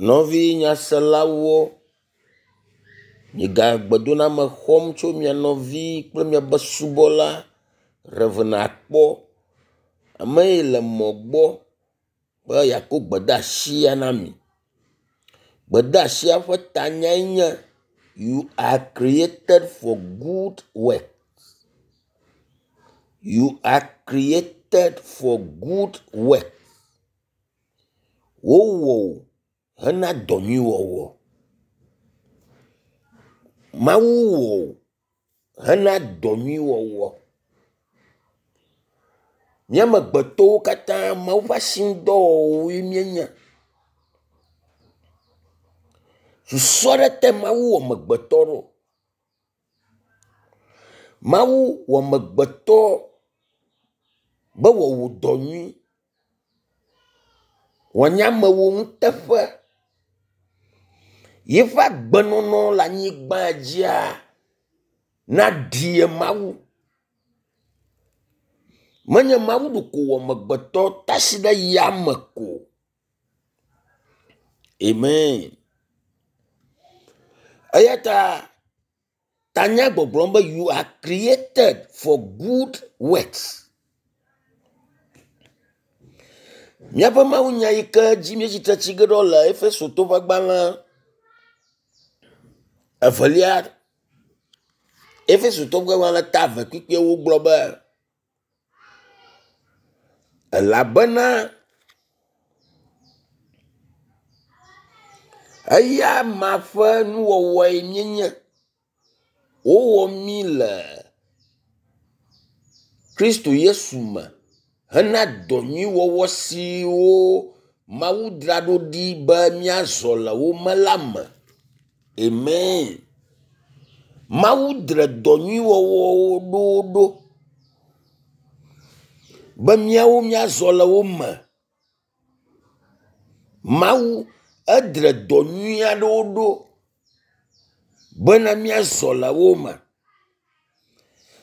Nɔvi nyaselawo, miega gbedoname xɔm tso mia nɔvi kple miaƒe subɔla Rev. Akpɔ. Ame yi le mɔ gbɔ be yeakɔ gbedeasia na mi. Gbedeasia ƒe tanyae nye “You are created for good work. You are created for good work.” Wowɔ wò hena dɔ nyui wɔwɔ. Mawu wɔ wò hena dɔ nyui wɔwɔ. Mía amegbetɔwo katã Mawu ƒe asinudɔwɔwɔwoe míenye. Susu aɖe tae Mawu wɔ amegbetɔ ɖo. Mawu wɔ amegbetɔ be wòawɔ dɔ nyui, wòanye amewɔnuteƒe. Yeƒe agbenɔnɔ le anyigba dzia naɖie Mawu. Menye Mawu ɖeko wɔ amegbetɔ tasi ɖe yame ko. Amen. Eya ta tanya gbɔgblɔm be you are created for good works. Míaƒe mawunya yi ke dzi míetsi tsi ge ɖo le Efeso ƒe agbalẽ evelia Efesotɔwo ƒe agbalẽ ta eve kpukpuiwo gblɔ be elabena eya amea ƒe nuwɔwɔe míenye. Wowɔ mí le Kristo Yesu me hena dɔ nyui wɔwɔ siwo Mawu dzra ɖo ɖi be míazɔ le wo me la me. Amen. Mawu dzra dɔ nyui wɔwɔwo ɖo ɖo be míawo míazɔ le wo me. Mawu edre dɔ nyui aɖewo ɖo bena míazɔ le wo me.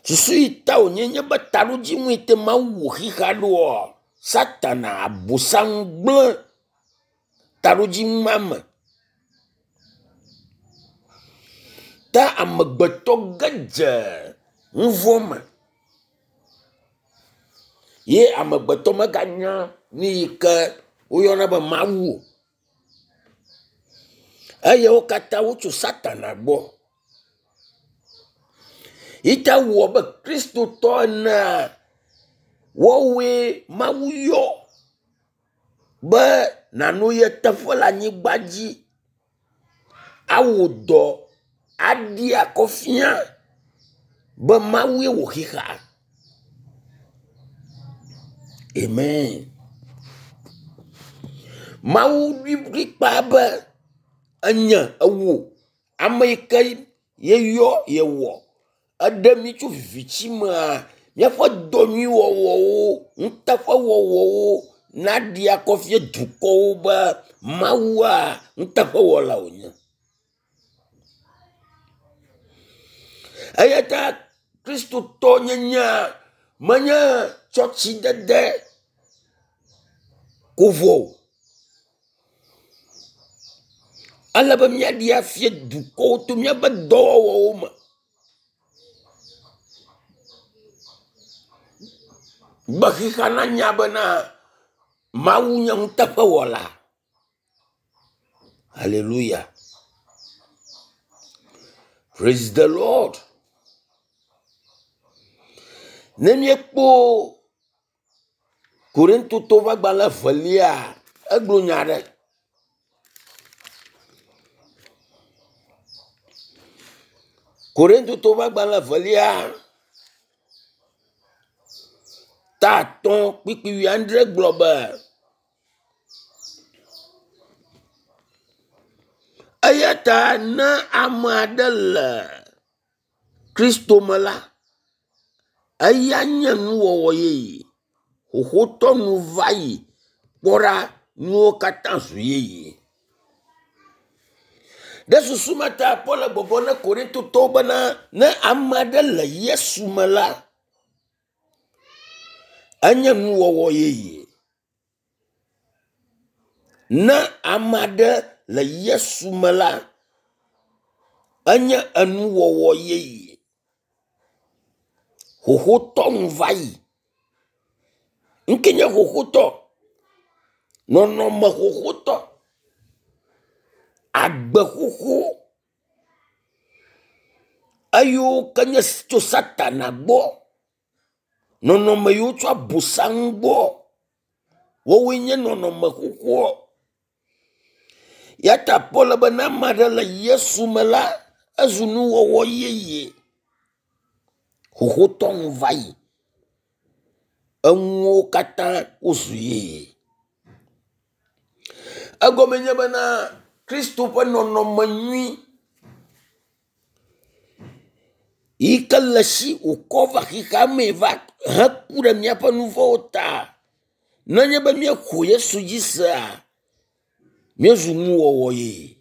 Susu yi ta wònye nye be taɖodzinu yi te Mawu wɔ xexea ɖoa, Satana abosam gblẽ taɖodzinu ma me. Ta amegbetɔ ge dze nu vɔ̃ me ye amegbetɔ meganya nu yi ke woyɔna be Mawu o. Eye wo katã wotso Satana gbɔ. Yi ta wɔ be Kristotɔ enea, woawoe Mawu yɔ be nànɔ ye teƒe le anyigba dzi awɔ dɔ aɖi akɔ fia be Mawue wɔ xexea. Amen. Mawu ɖoe kplikpaa be enye ewò ame yi ke yeyɔ yewɔ eɖe mí tso viviti mea, míaƒe dɔ nyui wɔwɔwo, nuteƒewɔwɔwo naɖi akɔ fia dukɔwo be Mawua nuteƒewɔla wònye. Eya ta Kristotɔnyenyea menye tsɔtsidede ko vɔ o. Ele be míaɖee afia dukɔwo to míaƒe dɔwɔwɔwo me. Be xexea nanya bena Mawu nye nuteƒewɔla. Hallelujah. Praise the Lord. Ne míekpɔ Korintotɔwo ƒe agbalẽ evelia, egblɔ nya aɖe. Korintotɔwo ƒe agbalẽ evelia ta atɔ̃ kpukpui wuiadre gblɔ be, Eya ta ne ame aɖe le Kristo me la, eya nye nuwɔwɔ yeye. Xoxotɔ nu va yi, kpɔ ɖa, nuwo katã zu yeye. Ɖe susu ma ta Paul le gbɔgblɔm na Korintotɔwo bena ne ame aɖe le Yesu me la, enye nuwɔwɔ yeye. Ne ame aɖe le Yesu me la, enye enuwɔwɔ yeye. Xoxotɔ nu va yi. Ŋke nye xoxotɔ? Nɔnɔme xoxotɔ. Agbe xoxo. Eyiwo ke nye tso Satana gbɔ. Nɔnɔme yiwo tso Abosam gbɔ. Wowoe nye nɔnɔme xoxoa. Ya ta Paul be ne ame aɖe le Yesu me la, ezu nuwɔwɔ yeye. Xoxotɔ nu va yi. Enuwo katã wozu yeye. Egɔme nye bena Kristo ƒe nɔnɔme nyui yi ke le esi wòkɔ va xexea mee va heku ɖe míaƒe nu vɔ̃wo ta. Nenye be míexɔ Yesu dzi sea, míezu nuwɔwɔ yeye.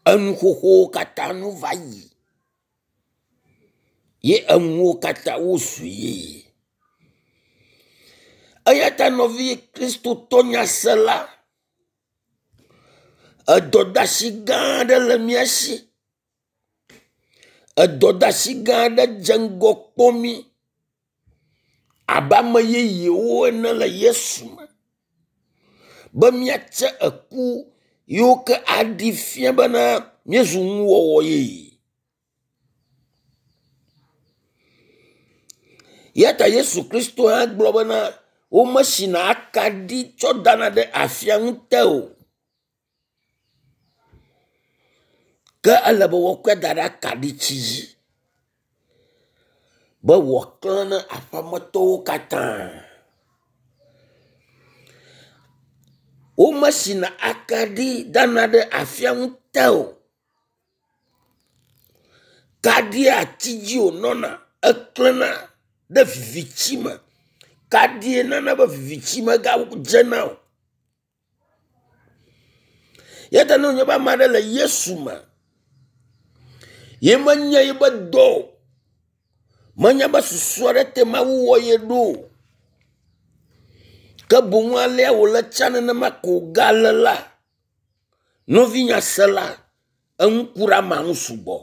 Enu xoxowo katã nu va yi ye enuwo katã wozu yeye. Eya ta nɔvi Kristotɔ nyasela, edɔdeasi gã aɖe le mía si. Edɔdeasi gã aɖe dze ŋgɔ kpɔ mí abe ame yeyewo ene le Yesu me be míatse eku yiwo ke aɖi fia bena míezu nuwɔwɔ yeye. Ya ta Yesu Kristo hã gblɔ bena womesina akaɖi tsɔ dana ɖe afia ŋute o. Ke ele be woakɔe da ɖe akaɖitsi dzi be wòaklẽ na aƒeametɔwo katã. Womesina akaɖi dana ɖe afia ŋute o. Kaɖia ati dzi wònɔna eklẽna ɖe viviti me. Kaɖie nana be viviti megadzena o. Ya ta ne wònye be ame aɖe le Yesu me ye menye yibe dɔ o, menye be susu aɖe te Mawu wɔ ye ɖo o, ke boŋ alea wòle tsã nenema ko wògale la, nɔvinyasela, eŋu ku ɖe amea ŋu sugbɔ.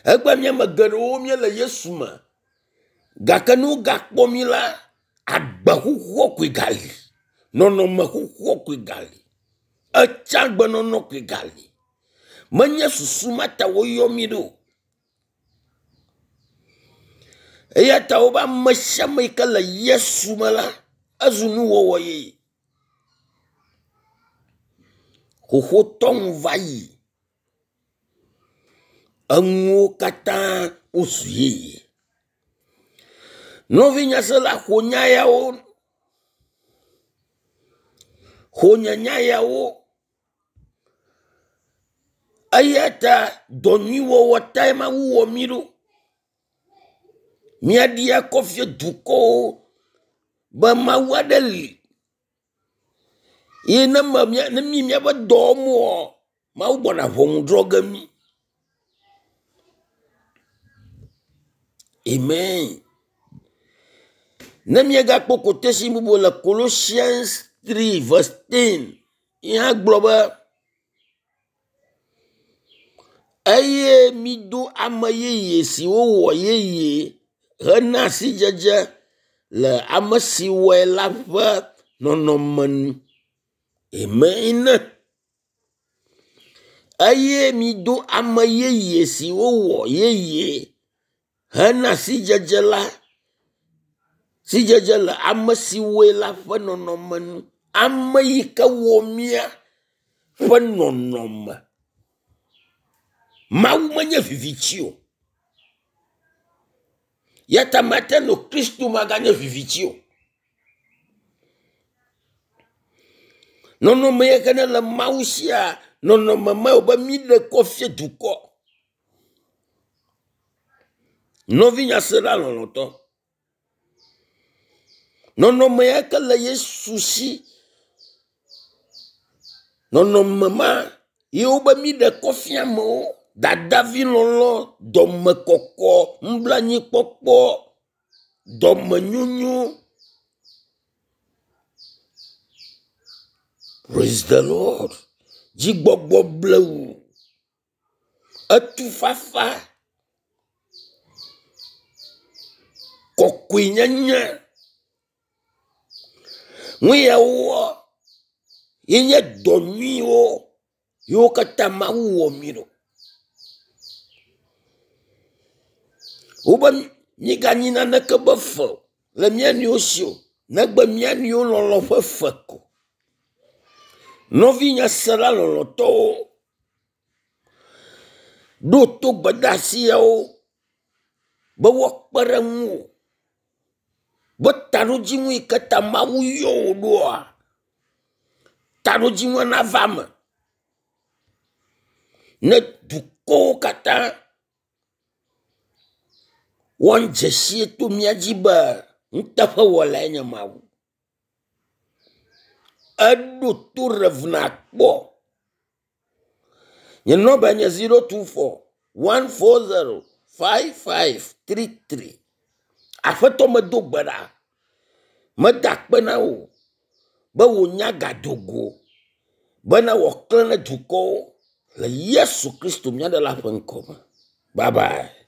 Egbe mía ame geɖewo míele Yesu me gake ne wogakpɔ mí la, agbe xoxoa koe gali, nɔnɔme xoxoa koe gali, etsã gbenɔnɔ koe gali. Menye susu ma ta woyɔ mí ɖo. Eya ta wobe ame sia ame yi ke le Yesu me la, ezu nuwɔwɔ yeye. Xoxotɔ nu va yi. Enuwo katã wozu yeye. Nɔvi nyasela xɔ nya yawo, xɔ nye nya yawo eya ta dɔ nyui wɔwɔ tae Mawu wɔ mí ɖo. Míaɖi akɔ fia dukɔwo be Mawu aɖe li ye ne me ne mí míaƒe dɔ wɔm oa, Mawu gbɔna ʋɔnu drɔ̃ ge mí. Amen. Ne míegakpɔ quotation bubu le Colossians 3 verse 10 ye hã gblɔ be eye mido ame yeye si wowɔ yeye hena sidzedze le ame si wɔe la ƒe nɔnɔme nu. Amen. Eye mido ame yeye si wowɔ yeye hena sidzedze la sidzedze le ame si wɔe la ƒe nɔnɔme nu. Ame yi ke wɔ mía ƒe nɔnɔme. Mawu menye viviti o. Ya ta mate ŋu Kristo maganye viviti o. Nɔnɔme yi ke ne le Mawu sia, nɔnɔme ma wòbe míɖe kɔ fia dukɔ. Nɔvi nyasela lɔlɔ̃tɔ, nɔnɔme ya ke le Yesu si, nɔnɔme ma ye wobe míɖe kɔ fia amewo, dadavilɔlɔ̃, dɔmekɔkɔ, nublanuikpɔkpɔ, dɔmenyonyo. Praise the Lord. Dzigbɔgbɔ blewu. Etufafa. Kɔkɔenyenye. Nu yawoa ye nye dɔ nyuiwo yiwo katã Mawu wɔ mí ɖo. Wobe míganyi naneke be fe o le mía nɔewo si o negbe mía nɔewo lɔlɔ ƒe fe ko. Nɔvinye sela lɔlɔtɔwo, ɖo to gbedeasi yawo be woakpe ɖe ŋuwò be taɖodzinu yi ke ta Mawu yɔ wò ɖoa, taɖodzinua nava eme ne dukɔwo katã woadze si to mía dzi be nuteƒewɔlae nye Mawu. Eɖo to Rev. Nakpɔ. Nye nɔmba nye 024 140 5533. Aƒetɔ medo gbe ɖa. Meda akpe na wò be wò nya gado go bena wòaklẽ ɖe dukɔwo le Yesu Kristo mía Ɖela ƒe ŋkɔ me. Bye bye.